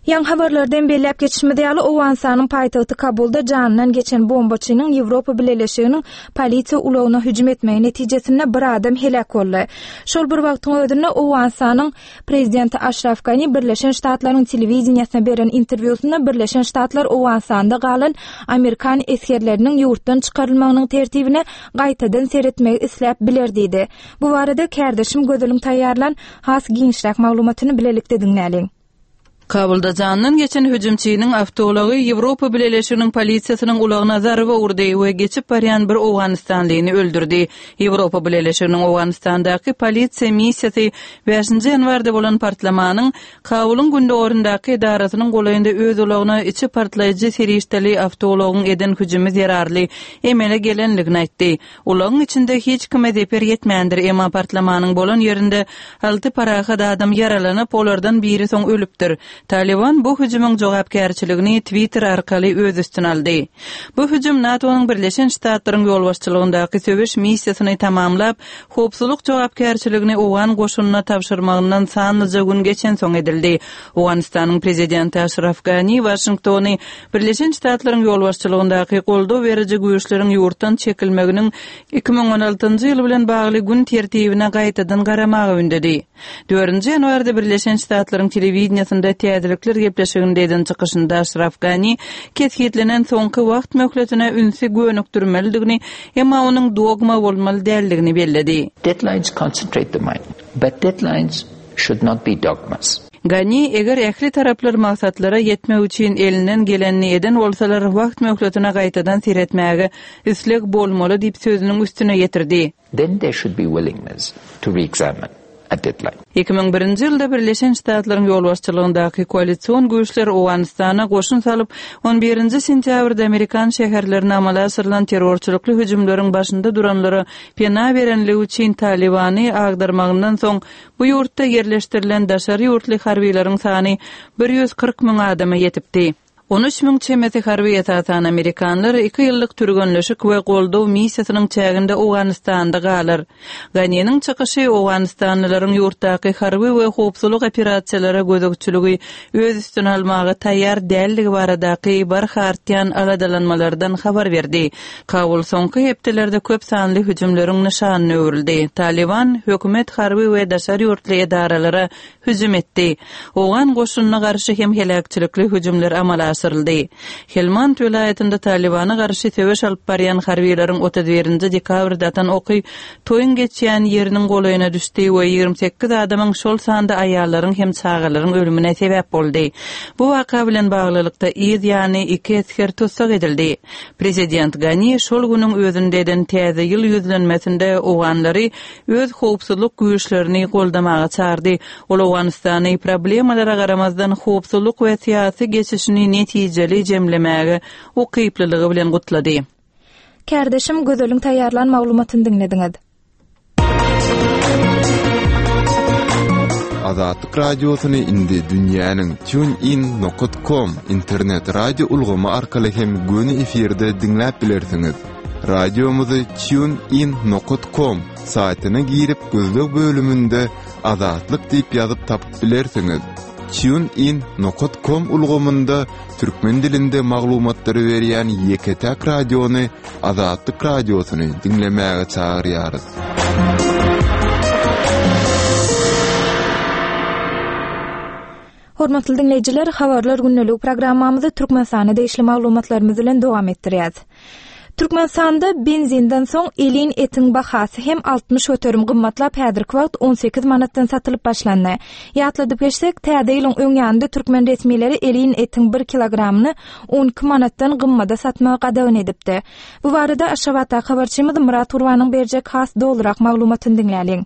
Ýaňy habarlarda hem belläp geçişimiz ýaly, Owganystanyň paýtagty Kabulda janyndan geçen bombaçynyň Ýewropa Bileleşiginiň polisiýa ulagyna hüjüm etmegi netijesinde bir adam heläk boldy. Şol bir wagtyň özünde Owganystanyň Prezidenti Aşraf Gani Birleşen Ştatlaryň telewideniýesine beren interwýusynda Birleşen Ştatlar Owganystanda galan amerikan esgerleriniň ýurtdan çykarylmagynyň tertibine gaýtadan seretmegi isläp biler diýdi. Bu barada kärdeşim Gözeliň taýýarlan has giňişräk maglumatyny bilelikde diňläliň. Kabulda janyndan geçen hüjümçiniň awtoulagy Ýewropa Bileleşiginiň polisiýasynyň ulagyna zarba urdy we geçip barýan bir owganystanlyny öldürdi. Ýewropa Bileleşiginiň Owganystandaky polisiýa missiýasy bäşinji ýanwarda bolan partlamanyň Kabulyň gündogaryndaky edarasynyň golaýynda öz ulagyna içi partlaýjy serişdeli awtoulagyň eden hüjümi zerarly emele gelendigini aýtdy. Ulagyň içinde hiç kime zeper ýetmändir, emma partlamanyň bolan ýerinde alty parahat adam ýaralanyp, olardan biri soň ölüpdir. Talyban bu hüjümiň jogapkärçiligini Twitter arkaly öz üstüne aldy. Bu hüjüm NATO-nyň Birleşen Ştatlaryň ýolbaşçylygyndaky söweş missiýasyny tamamlap, howpsuzlyk jogapkärçiligini owgan goşunyna tabşyrmagyndan sanlyja gün geçensoň edildi. Owganystanyň prezidenti Aşraf Gani Waşingtony Birleşen Ştatlaryň ýolbaşçylygyndaky goldaw beriji güýçleriň ýurtdan çekilmeginiň 2016-njy ýyl bilen bagly gün tertibine gaýtadan garamaga ündedi. Dördünji ýanwarda Birleşen Ştatlaryň telewideniýesinde täzelikler gepleşiginde eden çykyşynda Aşraf Gani kesgitlenen soňky wagt möhletine ünsi gönükdirmelidigini, emma onuň dogma bolmaly däldigini belledi. Deadlines concentrate the mind, but deadlines should not be dogmas. Gani, eger ähli taraplar maksatlara ýetmek üçin elinden gelenini eden bolsalar, wagt möhletine gaýtadan seretmäge isleg bolmaly diýip sözüniň üstüne ýetirdi. Then there should be willingness to re-examine a deadline. 2001-nji ýylda Birleşen Ştatlaryň ýolbaşçylygyndaky koalision güýçler Owganystana goşun salyp, on birinji sentýabrda amerikan şäherlerine amala aşyrylan terrorçylykly hüjümleriň başynda duranlara pena berenligi üçin Talybany agdarmagyndan soň Bu ýurtda ýerleşdirilen daşary ýurtly harbylaryň sany 140 müň adama ýetipdi. 13 müň çemesi harby, esasan amerikanlar, iki ýyllyk türgenleşik we goldaw missiýasynyň çäginde Owganystanda galar. Ganiniň çykyşy owganystanlylaryň ýurtdaky harby we howpsuzlyk operasiýalara gözegçiligi öz üstüne almaga taýýar däldigi baradaky barha artýan aladalanmalardan habar berdi. Kabul soňky hepdelerde köp sanly hüjümleriň nyşanyna öwrüldi. Talyban, hökümet harby we daşary ýurtly edaralara hüjüm etdi. Owgan goşunyna garşy hem heläkçilikli hüjümler amala aşyryldy. Helmand welaýatynda Talybana garşy söweş alyp barýan harbylaryň 31-nji dekabrda atan oky toýuň geçýän ýeriniň golaýyna düşdi we 28 adamyň, şol sanda aýallaryň hem çagalaryň ölümine sebäp boldy. Bu waka bilen baglylykda yz ýany iki esger tussag edildi. Prezident Gani şol günüň özünde eden Täze ýyl ýüzlenmesinde owganlary öz howpsuzlyk güýçlerini goldamaga çagyrdy. Ol Owganystany problemalara garamazdan howpsuzlyk we syýasy geçişini netijeli jemlemäge ukyplylygy bilen gutlady. Kärdeşim Gözeliň taýýarlan maglumatyny diňlediňiz. Azatlyk Radiosyny indi dünýäniň TuneIn nokat com internet radio ulgamy arkaly hem göni efirde diňläp bilersiňiz. Radiomyzy TuneIn nokat com saýtyna girip gözleg bölüminde Azatlyk diýip ýazyp tapyp bilersiňiz. TuneIn nokat com ulgamynda türkmen dilinde maglumatlary berýän ýeke-täk radiony Azatlyk Radiosyny diňlemäge çagyrýarys. Hormatly diňleýjiler, Habarlar gündeligi programmamyzy Türkmenistana degişli maglumatlarymyz bilen dowam etdirýäs. Türkmenistanda benzinden soň elin etiň bahasy hem 60% gymmatlap, häzirki wagt 18 manatdan satylyp başlandy. Ýatladyp geçsek, täze ýylyň öň ýanynda türkmen resmileri elin etiň 1 kilogramyny 12 manatdan gymmada satmagy gadagan edipdi. Bu barada Aşgabatdaky habarçymyz Myrat Gurbanyň berjek has dolurak maglumatyny diňläliň.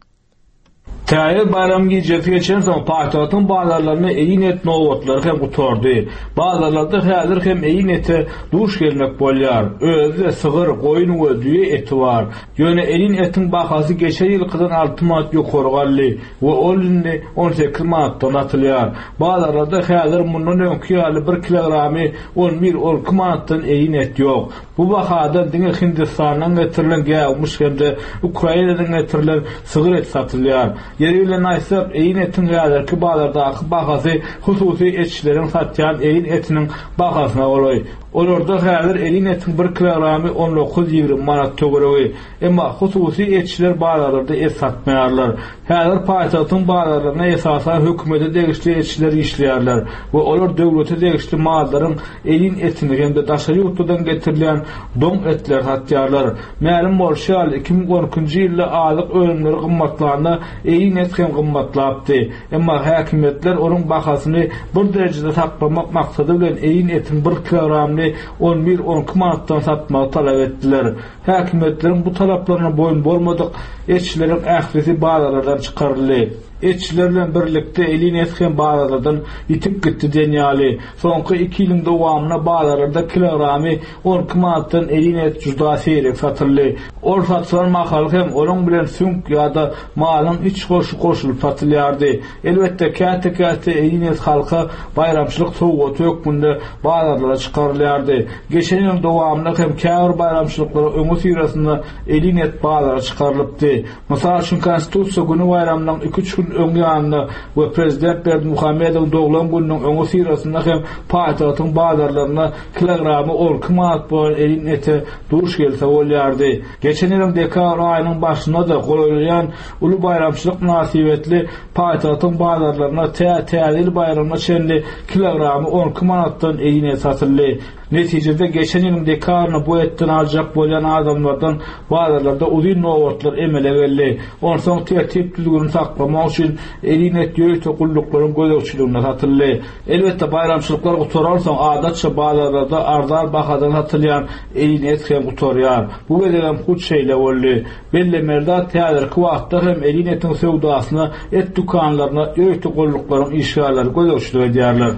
Täze baýram gijesi geçensoň, paýtagtyň bazarlarynda egin et nobatlary hem gutardy. Bazarlarda häzir hem egin ete duş gelmek bolýar. Özi-de sygyr, goýun we düýe eti bar. Ýöne elin etiň bahasy geçen ýylkydan alty manat ýokary galdy we ol indi 18 manatdan satylýar. Bazarlarda häzir mundan öňki ýaly bir kilogramy on bir, on iki manatdan egin et ýok. Bu bahadan diňe Hindistandan getirilen gäwmiş hem-de Ukrainadan getirilen sygyr eti satylýar. Ýeri bilen aýtsak, egin etiň häzirki bazardaky bahasy hususy etçileriň satýan egin etiniň bahasyna golaý. Olarda häzir egin etiň bir kilogramy on dokuz-ýigrimi manat töweregi. Emma hususy etçiler bazarlarda et satmaýarlar. Häzir paýtagtyň bazarlarynda esasan hökümete degişli etçiler işleýärler we olar döwlete degişli mallaryň elin etini hem-de daşary ýurtlardan getirilýän doň etleri satýarlar. Mälim bolşy ýaly, 2012-nji ýylda azyk önümleri gymmatlanda elin et hem gymmatlapdy. Emma häkimiýetler onuň bahasyny bir derejede saklamak maksady bilen elin etiň bir kilogramyny on bir-on iki manatdan satmagy talap etdiler. Häkimiýetleriň bu talaplaryna boýun bolmadyk etçileriň ählisi bazarlardan çykaryldy. Etçiler bilen birlikde elin et hem bazarlardan ýitip gitdi diýen ýaly. Soňky iki ýylyň dowamynda bazarlarda kilogramy 12 manatdan elin et juda seýrek satyldy. Ol satylan mahaly hem onuň bilen süňk ýa-da malyň iç goşy goşulyp satylýardy. Elbetde, käte-käte elin et halka baýramçylyk sowgaty hökmünde bazarlara çykarylýardy. Geçen ýylyň dowamynda hem käbir baýramçylyklaryň öňüsyrasynda elin et bazara çykarylypdy. Mysal üçin, Konstitusiýa güni baýramynyň iki-üç gün öň ýanynda we prezident Berdimuhamedowyň doglan gününiň öňüsyrasynda hem paýtagtyň bazarlarynda kilogramy 12 manat bolan elin ete duş gelse bolýardy. Geçen ýylyň dekabr aýynyň başynda-da golaýlaýan uly baýramçylyk mynasybetli paýtagtyň bazarlarynda tä Täze ýyl baýramyna çenli kilogramy 12 manatdan elin et satyldy. Netijede, geçen ýylyň dekabrynda bu etden aljak bolýan adamlardan bazarlarda uzyn nobatlar emele geldi. Onsoň tertip-düzgüni saklamak üçin elin et ýörite gulluklaryň gözegçiliginde satyldy. Elbetde, baýramçylyklar gutaransoň, adatça bazarlarda arzan bahadan satylýan elin et hem gutarýar. Bu gezegem hut şeýle boldy. Bellemeli zat, häzirki wagtda hem elin etiň söwdasyna et dükanlaryna ýörite gulluklaryň işgärleri gözegçilik edýärler.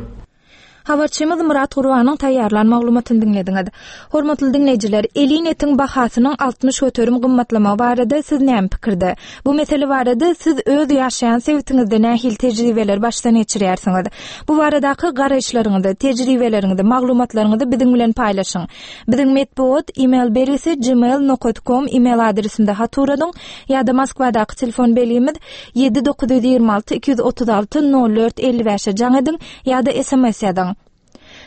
Habarçymyz Myrat Gurbanyň taýýarlan maglumatyny diňlediňiz. Hormatly diňleýjiler, elin etiň bahasynyň 60% gymmatlamagy barada siz näme pikirde? Bu mesele barada siz öz ýaşaýan sebitiňizde nähili tejribeleri başdan geçirýärsiňiz? Bu baradaky garaýyşlaryňyzy, tejribeleriňizi, maglumatlaryňyzy biziň bilen paýlaşyň. Biziň metbugat e-mail belgisi gmail nokat kom e-mail adresinde hat ugradyň ýa-da Moskwadaky telefon belgimiz 7 926 236 04 55-e jaň ediň ýa-da sms ýazyň.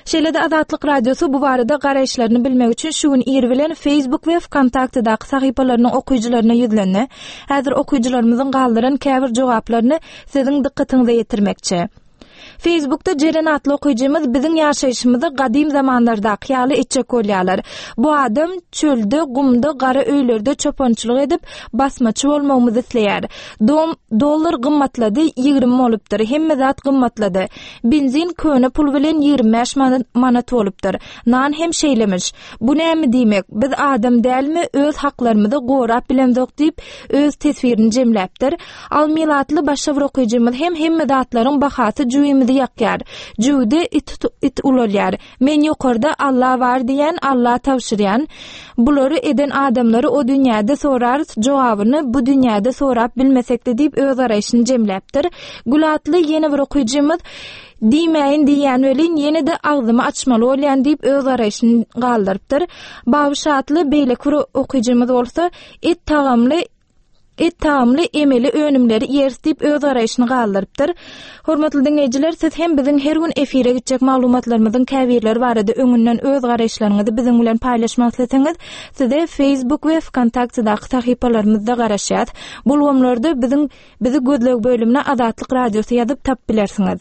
Şeýle-de Azatlyk Radiosy bu barada garaýyşlaryny bilmek üçin şu gün ir bilen Facebook we Wkontaktedaky sahypalarynyň okyjylaryna ýüzlendi. Häzir okyjylarymyzyň galdyran käbir jogaplaryny siziň dykgatyňyza ýetirmekçi. Facebookda Jeren atly okyjymyz biziň ýaşaýşymyzy gadym zamanlardaky ýaly etjek bolýarlar. Bu adam çölde, gumda, gara öýlerde çopançylyk edip, basmaçy bolmagymyzy isleýär. Dom, dollar gymmatlady, 20 bolupdyr. Hemme zat gymmatlady. Benzin köne pul bilen 25 manat bolupdyr. Nan hem şeýlemiş. Bu näme diýmek? Biz adam dälmi, öz haklarymyzy gorap bilemzok diýip, öz teswirini jemläpdir. Almil atly başga bir okyjymyz hem hemme zatlaryň bahasy jübimizi ýakýar. Jübüde it, it ulalýar. Men ýokarda Alla bar diýýän, Alla tabşyrýan. Bulary eden adamlary o dünýäde sorarys, jogabyny bu dünýäde sorap bilmesekde diýip öz garaýşyny jemläpdir. Gül atly ýene bir okyjymyz Diýmäýin diýýän welin ýene-de agzymy açmaly bolýan diýip öz garaýşyny galdyrypdyr. Babyş atly beýleki bir okyjymyz bolsa Et tagamly Et tagamly emeli önümleri iýeris diýip öz garaýşyny galdyrypdyr. Hormatly diňleýjiler, siz hem biziň her gün efire gitjek maglumatlarymyzyň käbirleri barada öňünden öz garaýyşlaryňyzy biziň bilen paýlaşmak isleseňiz, size Facebook we Wkontaktedaky sahypalarymyzda garaşýas. Bu ulgamlarda biziň bizi gözleg bölümine Azatlyk Radiosy ýazyp tapyp bilersiňiz.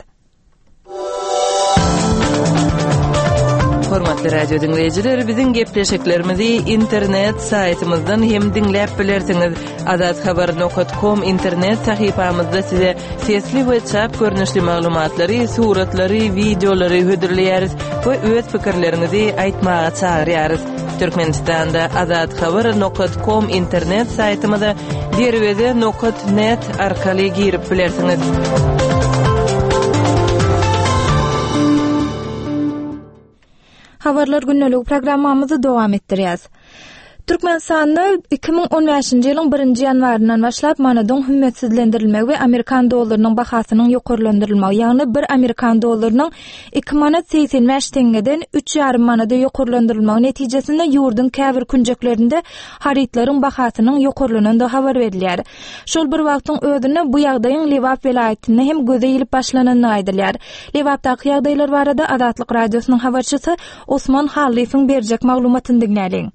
Hormatly radio diňleýjiler, biziň gepleşiklerimizi internet saýtymyzdan hem diňläp bilersiňiz. Azathabar.com internet sahypamyzda size sesli we çap görnüşli maglumatlary, suratlary, wideolary hödürleýäris we öz pikirleriňizi aýtmaga çagyrýarys. Türkmenistanda azathabar.com internet saýtymyza derweze nokat net arkaly girip bilersiňiz. Habarlar gündeligi programmamyzy dowam etdirýäs. Türkmenistanda 2015-nji ýylyň birinji ýanwaryndan başlap manadyň hümmetsizlendirilmegi we amerikan dollarynyň bahasynyň ýokarlandyrylmagy, ýagny bir amerikan dollarynyň 2 manat 85 teňňeden üç ýarym manada ýokarlandyrylmagy netijesinde ýurduň käbir künjeklerinde harytlaryň bahasynyň ýokarlanandygy habar berilýär. Şol bir wagtyň özünde bu ýagdaýyň Lebap welaýatynda hem göze ilip başlanandygy aýdylýar. Lebapdaky ýagdaýlar barada Azatlyk Radiosynyň habarçysy Osman Hallyýewiň berjek maglumatyny diňläliň.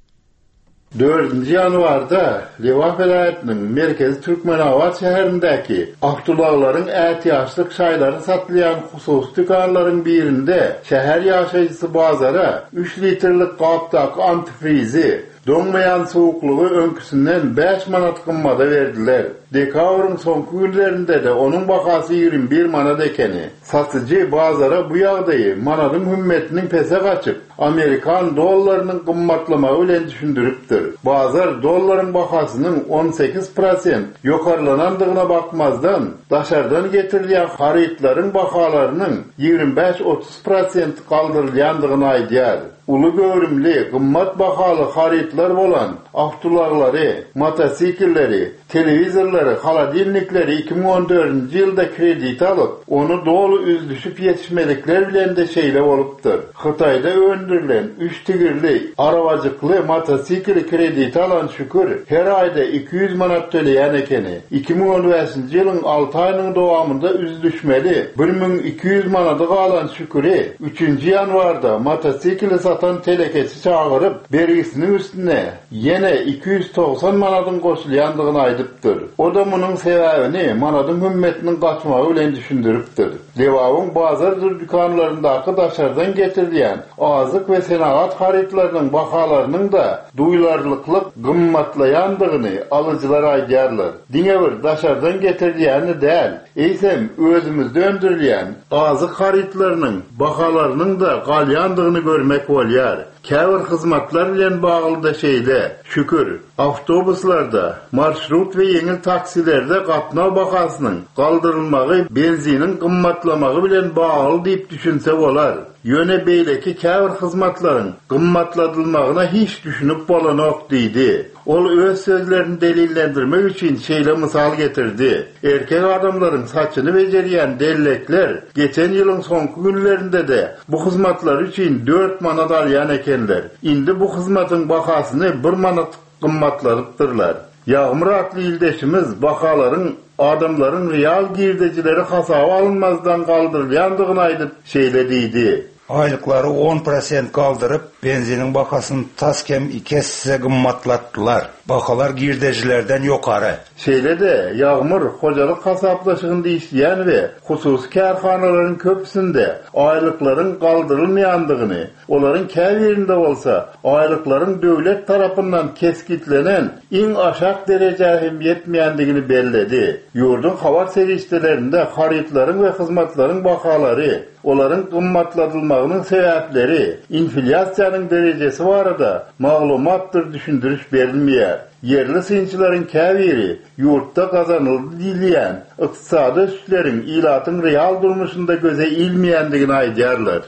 Dördünji ýanwarda Lebap welaýatynyň merkezi Türkmenabat şäherindäki awtoulaglaryň ätiýaçlyk şaýlary satylýan hususy dükanlaryň birinde şäher ýaşaýjysy bazara üç litrlik gapdaky antifrizi, Doňmaýan suwuklygy öňküsinden bäş manat gymmada berdiler. Dekabryň soňky günlerinde-de onuň bahasy 21 manat ekeni. Satyjy bazara bu ýagdaýy manadyň hümmetiniň pese gaçyp, amerikan dollarynyň gymmatlamagy bilen düşündiripdir. Bazar dollaryň bahasynyň 18 prosent ýokarlanandygyna bakmazdan, daşardan getirilýän harytlaryň bahalarynyň 25-30 prosent galdyrylýandygyny aýdýar. Uly göwrümli, gymmat bahaly harytlar bolan awtoulaglary, motosiklleri, telewizorlary, holodilnikleri 2014-nji ýylda kredite alyp, ony doly üzlüşip ýetişmedikler bilen-de şeýle bolupdyr. Hytaýda öndürilen üç tigirli, arabajykly motosikli kredite alan Şükür her aýda 200 manat töleýän ekeni. 2015-nji ýylyň alty aýynyň dowamynda üzlüşmeli 1200 manady galan Şüküri üçünji ýanwarda motosikli satan telekeçi çagyryp, bergisiniň üstüne ýene 290 manadyň goşulýandygyny aýdypdyr. O-da munuň sebäbini manadyň hümmetiniň gaçmagy bilen düşündiripdir. Lebabyň bazardyr dükanlaryndaky daşardan getirilýän azyk we senagat harytlarynyň bahalarynyň-da duýlarlykly gymmatlaýandygyny alyjylar aýdýarlar. Diňe bir daşardan getirilýäni däl, eýsem, özümizde öndürilýän azyk harytlarynyň bahalarynyň-da galýandygyny görmek bolýar. Käbir hyzmatlar bilen bagly-da şeýle. Şükür, awtobuslarda, marşrut we ýeňil taksilerde gatnaw bahasynyň galdyrylmagy benziniň gymmatlamagy bilen bagly diýip düşünse bolar. Ýöne beýleki käbir hyzmatlaryň gymmatladylmagyna hiç düşünip bolanok diýdi. Ol öz sözlerini delillendirmek üçin şeýle mysal getirdi, Erkek adamlaryň saçyny bejerýän dellekler geçen ýylyň soňky günlerinde-de bu hyzmatlary üçin dört manat alýan ekenler. Indi bu hyzmatyň bahasyny bir manat gymmatladypdyrlar. Ýagmyr atly ildeşimiz bahalaryň adamlaryň real girdejileri hasaba alynmazdan galdyrylýandygyny aýdyp, şeýle diýdi. Aýlyklary on prosent galdyryp, benziniň bahasyny tas kem iki esse gymmatlatdylar. Bahalar girdejilerden ýokary. Şeýle-de, Ýagmyr hojalyk hasaplaşygynda işleýän we hususy kärhanalaryň köpüsinde aýlyklaryň galdyrylmaýandygyny, Olaryň käbirinde bolsa aýlyklaryň döwlet tarapyndan kesgitlenen iň aşak derejä hem ýetmeýändigini belledi. Ýurduň habar serişdelerinde harytlaryň we hyzmatlaryň bahalary, olaryň gymmatladylmagynyň sebäpleri, inflýasiýanyň derejesi barada maglumatdyr düşündiriş berilmeýär. Ýerli synçylaryň käbiri ýurtda gazanyldy diýilýän ykdysady ösüşleriň ilatyň real durmuşynda göze ilmeýändigini aýdýarlar.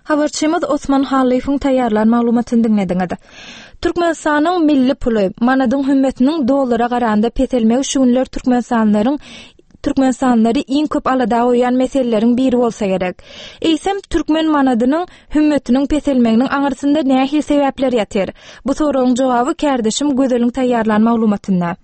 Habarçymyz Osman Hallyýewiň taýýarlan maglumatyny diňlediňiz. Türkmenistanyň milli puly, manadyň hümmetiniň dollara garanda peselmegi şu günler türkmenistanlylaryň türkmenistanlylary iň köp alada goýýan meseleleriň biri bolsa gerek. Eýsem, türkmen manadynyň hümmetiniň peselmeginiň aňyrsynda nähili sebäpler ýatyr? Bu soragyň jogaby kärdeşim Gözeliň taýýarlan maglumatynda.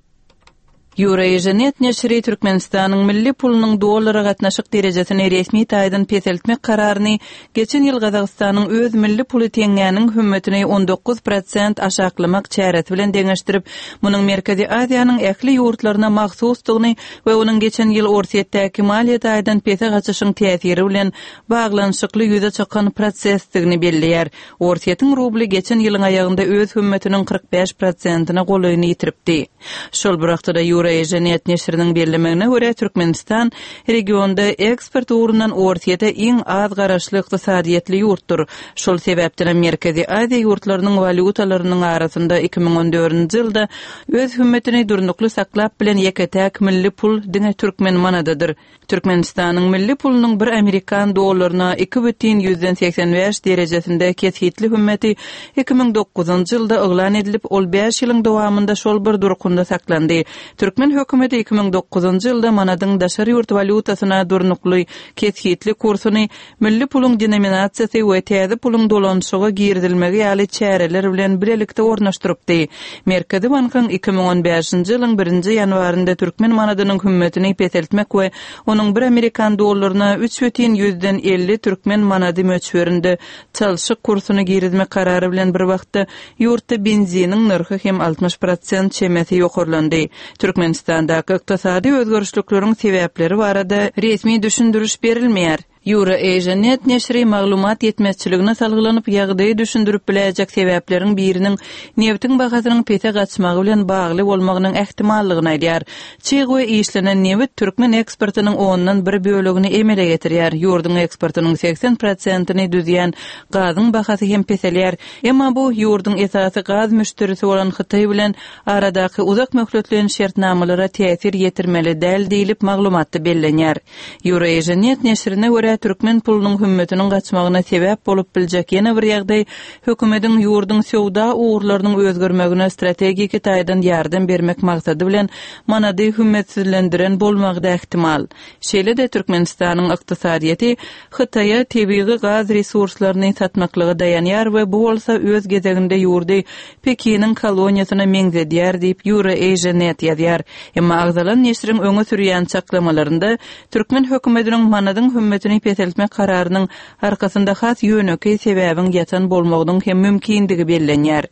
Eurasianet neşiri Türkmenistanyň milli pulunyň dollara gatnaşyk derejesini resmi taýdan peseltmek kararyny geçen ýyl Gazagystanyň öz milli puly teňňäniň hümmetini 19 prosent aşaklamak çäresi bilen deňeşdirip, munuň Merkezi Aziýanyň ähli ýurtlaryna mahsusdygyny we onuň geçen ýyl Orsýetdäki maliýe taýdan pese gaçyşyň täsiri bilen baglanyşykly ýüze çykan prosesdigini belleýär. Orsýetiň rubly geçen ýylyň aýagynda öz hümmetiniň 45 prosentine golaýyny ýitiripdi. Şol bir wagtda-da. Eurasianet neşiriniň bellemegine görä, Türkmenistan regionda eksport ugrundan Orsýete iň az garaşly ykdysadyýetli ýurtdur. Şol sebäpdenem Merkezi Aziýa ýurtlarynyň walýutalarynyň arasynda 2014-nji ýylda öz hümmetini durnukly saklap bilen ýeke-täk milli pul diňe türkmen manadydyr. Türkmenistanyň milli pulunyň bir amerikan dollaryna 2,85 derejesinde kesgitli hümmeti 2009-njy ýylda yglan edilip, ol bäş ýylyň dowamynda şol bir durkunda saklandy. Türkmen hökümeti 2009-njy ýylda manadyň daşary ýurt walýutasyna durnukly kesgitli kursuny milli puluň denominasiýasy we täze puluň dolanyşyga girizilmegi ýaly çäreler bilen bilelikde ornaşdyrypdy. Merkezi bankyň 2015-nji ýylyň birinji ýanwarynda türkmen manadynyň hümmetini peseltmek we onuň bir amerikan dollaryna 3,50 türkmen manady möçberinde çalşyk kursuny girizmek karary bilen bir wagtda ýurtda benziniň nyrhy hem 60 prosent çemesi ýokarlandy. Türkmenistandaky ykdysady özgerişlikleriň sebäpleri barada resmi düşündiriş berilmeýär. EurAsiaNet neşiri maglumat ýetmezçiligine salgylanyp, ýagdaýy düşündirip biläýjek sebäpleriň biriniň nebitiň bahasynyň pese gaçmagy bilen bagly bolmagynyň ähtimallygyny aýdýar. Çig we işlenen nebit türkmen eksportynyň ondan bir bölegini emele getirýär. Ýurduň eksportynyň 80 prosentini düzýän gazyň bahasy hem peselýär. Emma bu ýurduň esasy gaz müşderisi bolan Hytaý bilen aradaky uzak möhletleýin şertnamalara täsir ýetirmeli däl diýlip, maglumatda bellenýär. Eurasianet neşirine görä, türkmen pulunyň hümmetiniň gaçmagyna sebäp bolup biljek ýene bir ýagdaý hökümetiň ýurduň söwda ugurlarynyň özgermegine strategiki taýdan ýardam bermek maksady bilen manady hümmetsizlendiren bolmagy-da ähtimal. Şeýle-de Türkmenistanyň ykdysadyýeti Hytaýa tebigy gaz resurslaryny satmaklyga daýanýar we bu bolsa öz gezeginde ýurdy Pekiniň koloniýasyna meňzedýär diýip, EurAsiaNet ýazýar. Emma agzalan neşiriň öňe sürýän çaklamalarynda türkmen hökümetiniň manadyň hümmetini peseltmek kararynyň arkasynda has ýönekeý sebäbiň ýatan bolmagynyň hem mümkindigi bellenýär.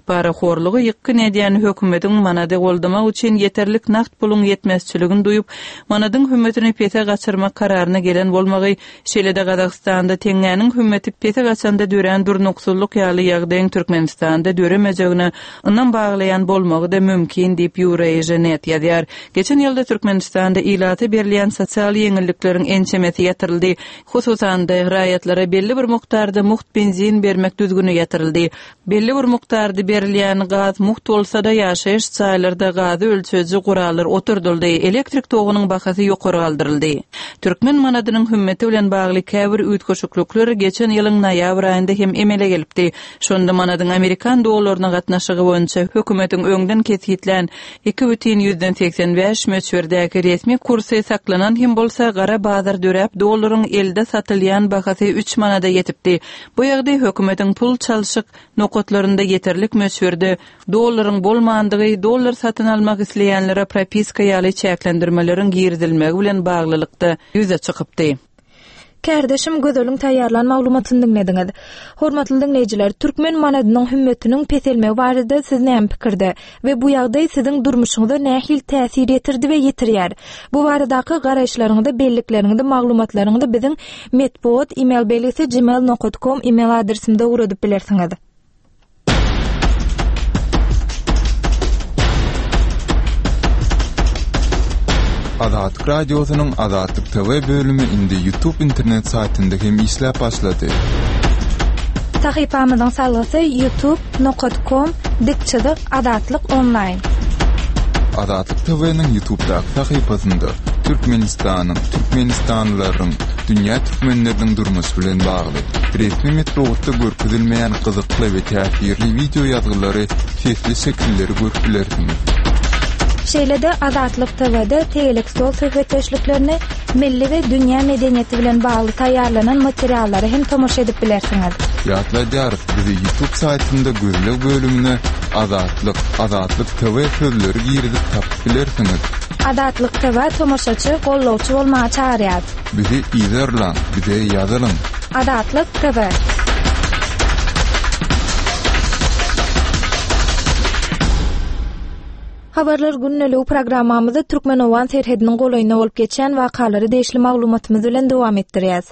Parahorlugy ýykgyn edýän hökümetiň manady goldamak üçin ýeterlik nagt puluň ýetmezçiligini duýup, manadyň hümmetini pese gaçyrmak kararyna gelen bolmagy, şeýle-de Gazagystanda teňňäniň hümmeti pese gaçanda dörän durnuksyzlyk ýaly ýagdaýyň Türkmenistanda döremejegine ynam baglaýan bolmagy-da mümkin diýip, Eurasianet ýazýar. Geçen ýylda Türkmenistanda ilata berilýän sosial ýeňillikleriň ençemesi ýatyryldy. Hususan-da, raýatlara belli bir mukdarda mugt benzin bermek düzgüni ýatyryldy. Belli bir mukdarda berilýän gaz mugt bolsa-da, ýaşaýyş jaýlarda gazy ölçeýji gurallar oturdyldy, elektrik togunyň bahasy ýokary galdyryldy. Türkmen manadynyň hümmeti bilen bagly käbir üýtgeşiklikler geçen ýylyň noýabr aýynda hem emele gelipdi. Şonda manadyň amerikan dollaryna gatnaşygy boýunça hökümetiň öňden kesgitlän 2,85 möçberdäki resmi kursy saklanan hem bolsa, gara bazar döräp, dollaryň elde satylýan bahasy üç manada ýetipdi. Bu ýagdaý hökümetiň pul çalşyk nokatlarynda ýeterlik möçberde dollaryň bolmandygy, dollar satyn almak isleýänlere propiska ýaly çäklendirmeleriň girizilmegi bilen baglylykda ýüze çykypdy. Kärdeşim Gözeliň taýýarlan maglumatyny diňlediňiz. Hormatly diňleýjiler, türkmen manadynyň hümmetiniň peselmegi barada siz näme pikirde we bu ýagdaý siziň durmuşyňyza nähili täsir ýetirdi we ýetirýär? Bu baradaky garaýyşlaryňyzy, bellikleriňizi, maglumatlaryňyzy biziň metbugat email belgisi gmail nokat kom email adresimize ugradyp bilersiňiz. Azatlyk Radiosynyň Azatlyk TV bölümi indi YouTube internet saýtynda hem işläp başlady. Sahypamyzyň salgysy youtube nokat kom dik çyzyk Azatlyk onlaýn. Azatlyk TV-niň YouTube'daky sahypasynda Türkmenistanyň, türkmenistanlylaryň, dünýä türkmenleriniň durmuşy bilen bagly resmi metbugatda görkezilmeýän gyzykly we täsirli wideo ýazgylary, sesli şekilleri görüp bilersiňiz. Şeýle-de Azatlyk TW-de tegelek stol söhbetdeşliklerini, milli we dünýä medeniýeti bilen bagly taýýarlanan materiallara hem tomaşa edip bilersiňiz. Ýatladýarys, bizi YouTube saýtynda gözleg bölümine Azatlyk, Azatlyk TV sözleri girizip tapyp bilersiňiz. Azatlyk TV tomaşaçy, gollawçy bolmaga çagyrýar. Bizi yzarlaň, bize ýazylyň. Azatlyk TV. Habarlar gündeligi programmamyzy türkmen-owgan serhediniň golaýynda bolup geçýän wakalara degişli maglumatymyz bilen dowam etdirýäs.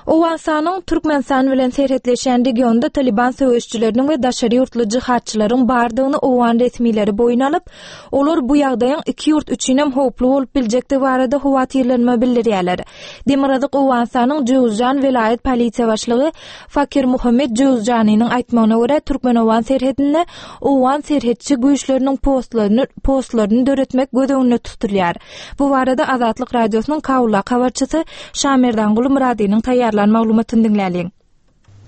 Owganystanyň Türkmenistan bilen serhetleşýän regionda Talyban söweşijileriniň we daşary ýurtly jihadçylaryň bardygyny owgan resmileri boýun alyp, olar bu ýagdaýyň iki ýurt üçinem howply bolup biljekdigi barada howatyrlanma bildirýärler. Demirgazyk Owganystanyň Jöwüzjan welaýat polisiýa başlygy Fakir Muhammet Jöwüzjanynyň aýtmagyna görä, türkmen-owgan serhedinde owgan serhetçi güýçleriniň postlaryny postlaryny döretmek göz öňünde tutulýar. Bu barada Azatlyk Radiosynyň Kabuldaky habarçysy Şamerdanguly Myradynyň taýýarlan maglumatyny diňläliň.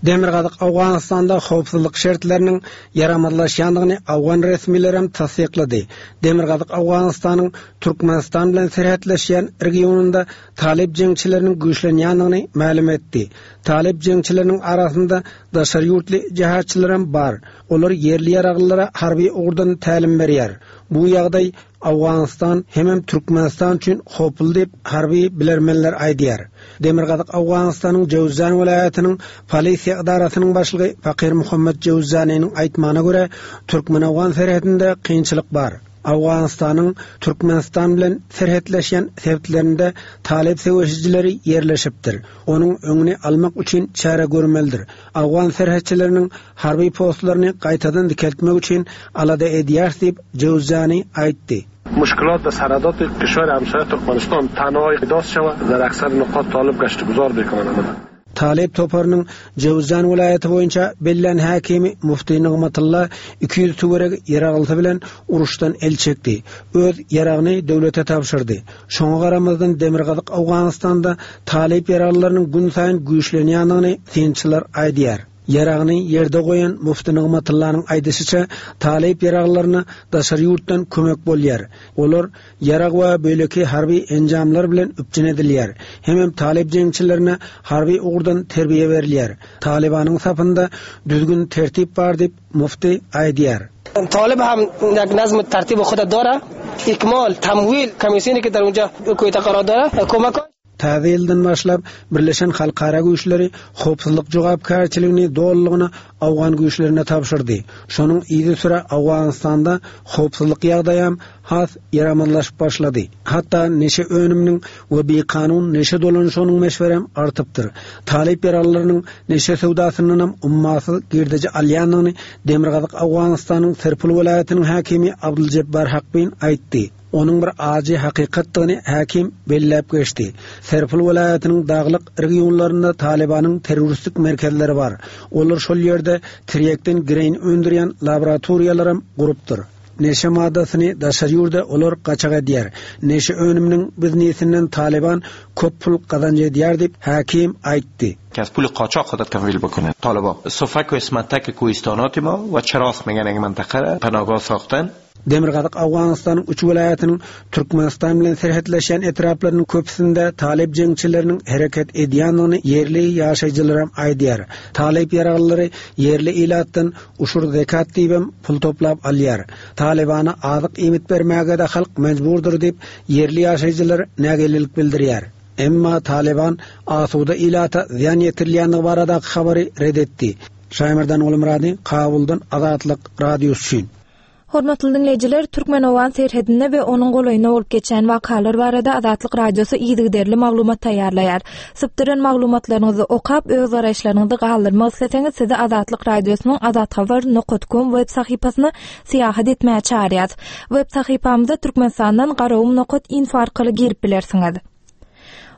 Demirgazyk Owganystanda howpsuzlyk şertleriniň ýaramazlaşýandygyny owgan resmilerem tassyklady. Demirgazyk Owganystanyň Türkmenistan bilen serhetleşýän regionynda talyp jeňçileriniň güýçlenýändigini mälim etdi. Talyp jeňçileriniň arasynda daşary ýurtly jehatçylaram bar. Olar ýerli ýaraglylara harby ugurdan tälim berýär. Bu ýagdaý Owganystan hemem Türkmenistan üçin howply diýip, harby bilermenler aýdýar. Demirgazyk Owganystanyň Jöwüzjan welaýatynyň polisiýa edarasynyň başlygy Fakir Muhammet Jöwüzjanynyň aýtmagyna görä, türkmen-owgan serhedinde kynçylyk bar. Owganystanyň Türkmenistan bilen serhetleşýän sebitlerinde talyp söweşijileri ýerleşipdir. Onuň öňüni almak üçin çäre görmelidir. Owgan serhetçileriniň harby postlaryny gaýtadan dikeltmek üçin alada edýäris diýip, Jöwzjani aýtdy. مشکلات در سرحدات کشور همسایه ترکمنستان تنها احداث شود در اکثر نقاط طالب گشت گذار بکنند. Talyp toparynyň Jöwzjan welaýaty boýunça bellän häkimi Mufti Nygmatylla 200 töweregi ýaraglysy bilen uruşdan el çekdi. Öz ýaragyny döwlete tabşyrdy. Şoňa garamazdan Demirgazyk Owganystanda talyp ýaraglylarynyň günsaýyn güýçlenýändigini synçylar aýdýar. Ýaragyny ýerde goýan Mufti Nygmatyllanyň aýdyşyça, talyp ýaraglylaryna daşary ýurtdan kömek bolýar. Olar ýarag we beýleki harby enjamlar bilen üpjün edilýär. Hemem talyp jeňçilerine harby ugurdan terbiýe berilýär. Talybanyň sapynda düzgün-tertip bar diýip, Mufti aýdýar. طالب هم یک نظم و ترتیب خود داره اکمال تمویل کمیسیونی که در اونجا کویت قرار داره کمک Täze ýyldan başlap, Birleşen halkara güýçleri howpsuzlyk jogapkärçiligini dolulygyna owgan güýçlerine tabşyrdy. Şonuň yzysüre Owganystanda howpsuzlyk ýagdaýam has ýaramazlaşyp başlady. Hatda neşe önüminiň we bikanun neşe dolanyşygynyň möçberem artypdyr. Talyp ýaraglylarynyň neşe söwdasyndanam ummasyz girdeji alýandygyny Demirgazyk Owganystanyň Serpul welaýatynyň häkimi Abduljebbar Hakbin aýtdy. Onuň bir ajy hakykatdygyny häkim belläp geçdi. Serpul welaýatynyň daglyk regionlarynda Talybanyň terroristik merkezleri bar. Olar şol ýerde tirýekden gireýin öndürýän laboratoriýalaram gurupdyr. Neşe maddasyny daşary ýurda olar gaçak edýär. Neşe önüminiň biznesinden Talyban köp pul gazanç edýär diýip, häkim aýtdy. که از پول قاچاق خودت تمویل بکنه طالبا سفک و اسمتک کوهستانات ما و چراس میگن یک منطقه را پناهگاه ساختن Demirgazyk Owganystanyň üç welaýatynyň Türkmenistan bilen serhetleşýän etraplarynyň köpüsinde talyp jeňçileriniň hereket edýändigini ýerli ýaşaýjylaram aýdýar. Talyp ýaraglylary ýerli ilatdan Uşur zekat diýibem pul toplap alýar. Talybana azyk-iýmit bermäge-de halk mejburdyr diýip, ýerli ýaşaýjylar nägilelik bildirýär. Emma Talyban asuda ilata zyýan ýetirilýändigi baradaky habary ret etdi. Şaýmerdan Gulmyrady, Kabuldan Azatlyk Radiosy üçin. Hormatly diňleýjiler, türkmen-owgan serhedinde we onuň golaýynda bolup geçýän wakalar barada Azatlyk Radiosy yzygiderli maglumat taýýarlaýar. Sypdyran maglumatlaryňyzy okap, öz garaýyşlaryňyzy galdyrmak isleseňiz, sizi Azatlyk Radiosynyň azathabar nokat kom web sahypasyna syýahat etmäge çagyrýas. Web sahypamyza Türkmenistandan garagum nokat info arkaly girip bilersiňiz.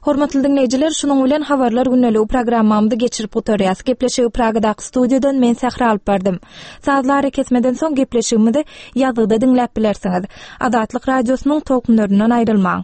Hormatly diňleýjiler, şunuň bilen Habarlar gündeligi programmamyzy geçirip gutarýas. Gepleşigi Pragadaky studiýadan men Sähra alyp bardym. Sazly arakesmeden soň gepleşigimizi ýazgyda diňläp bilersiňiz. Azatlyk Radiosynyň tolkunlaryndan aýrylmaň.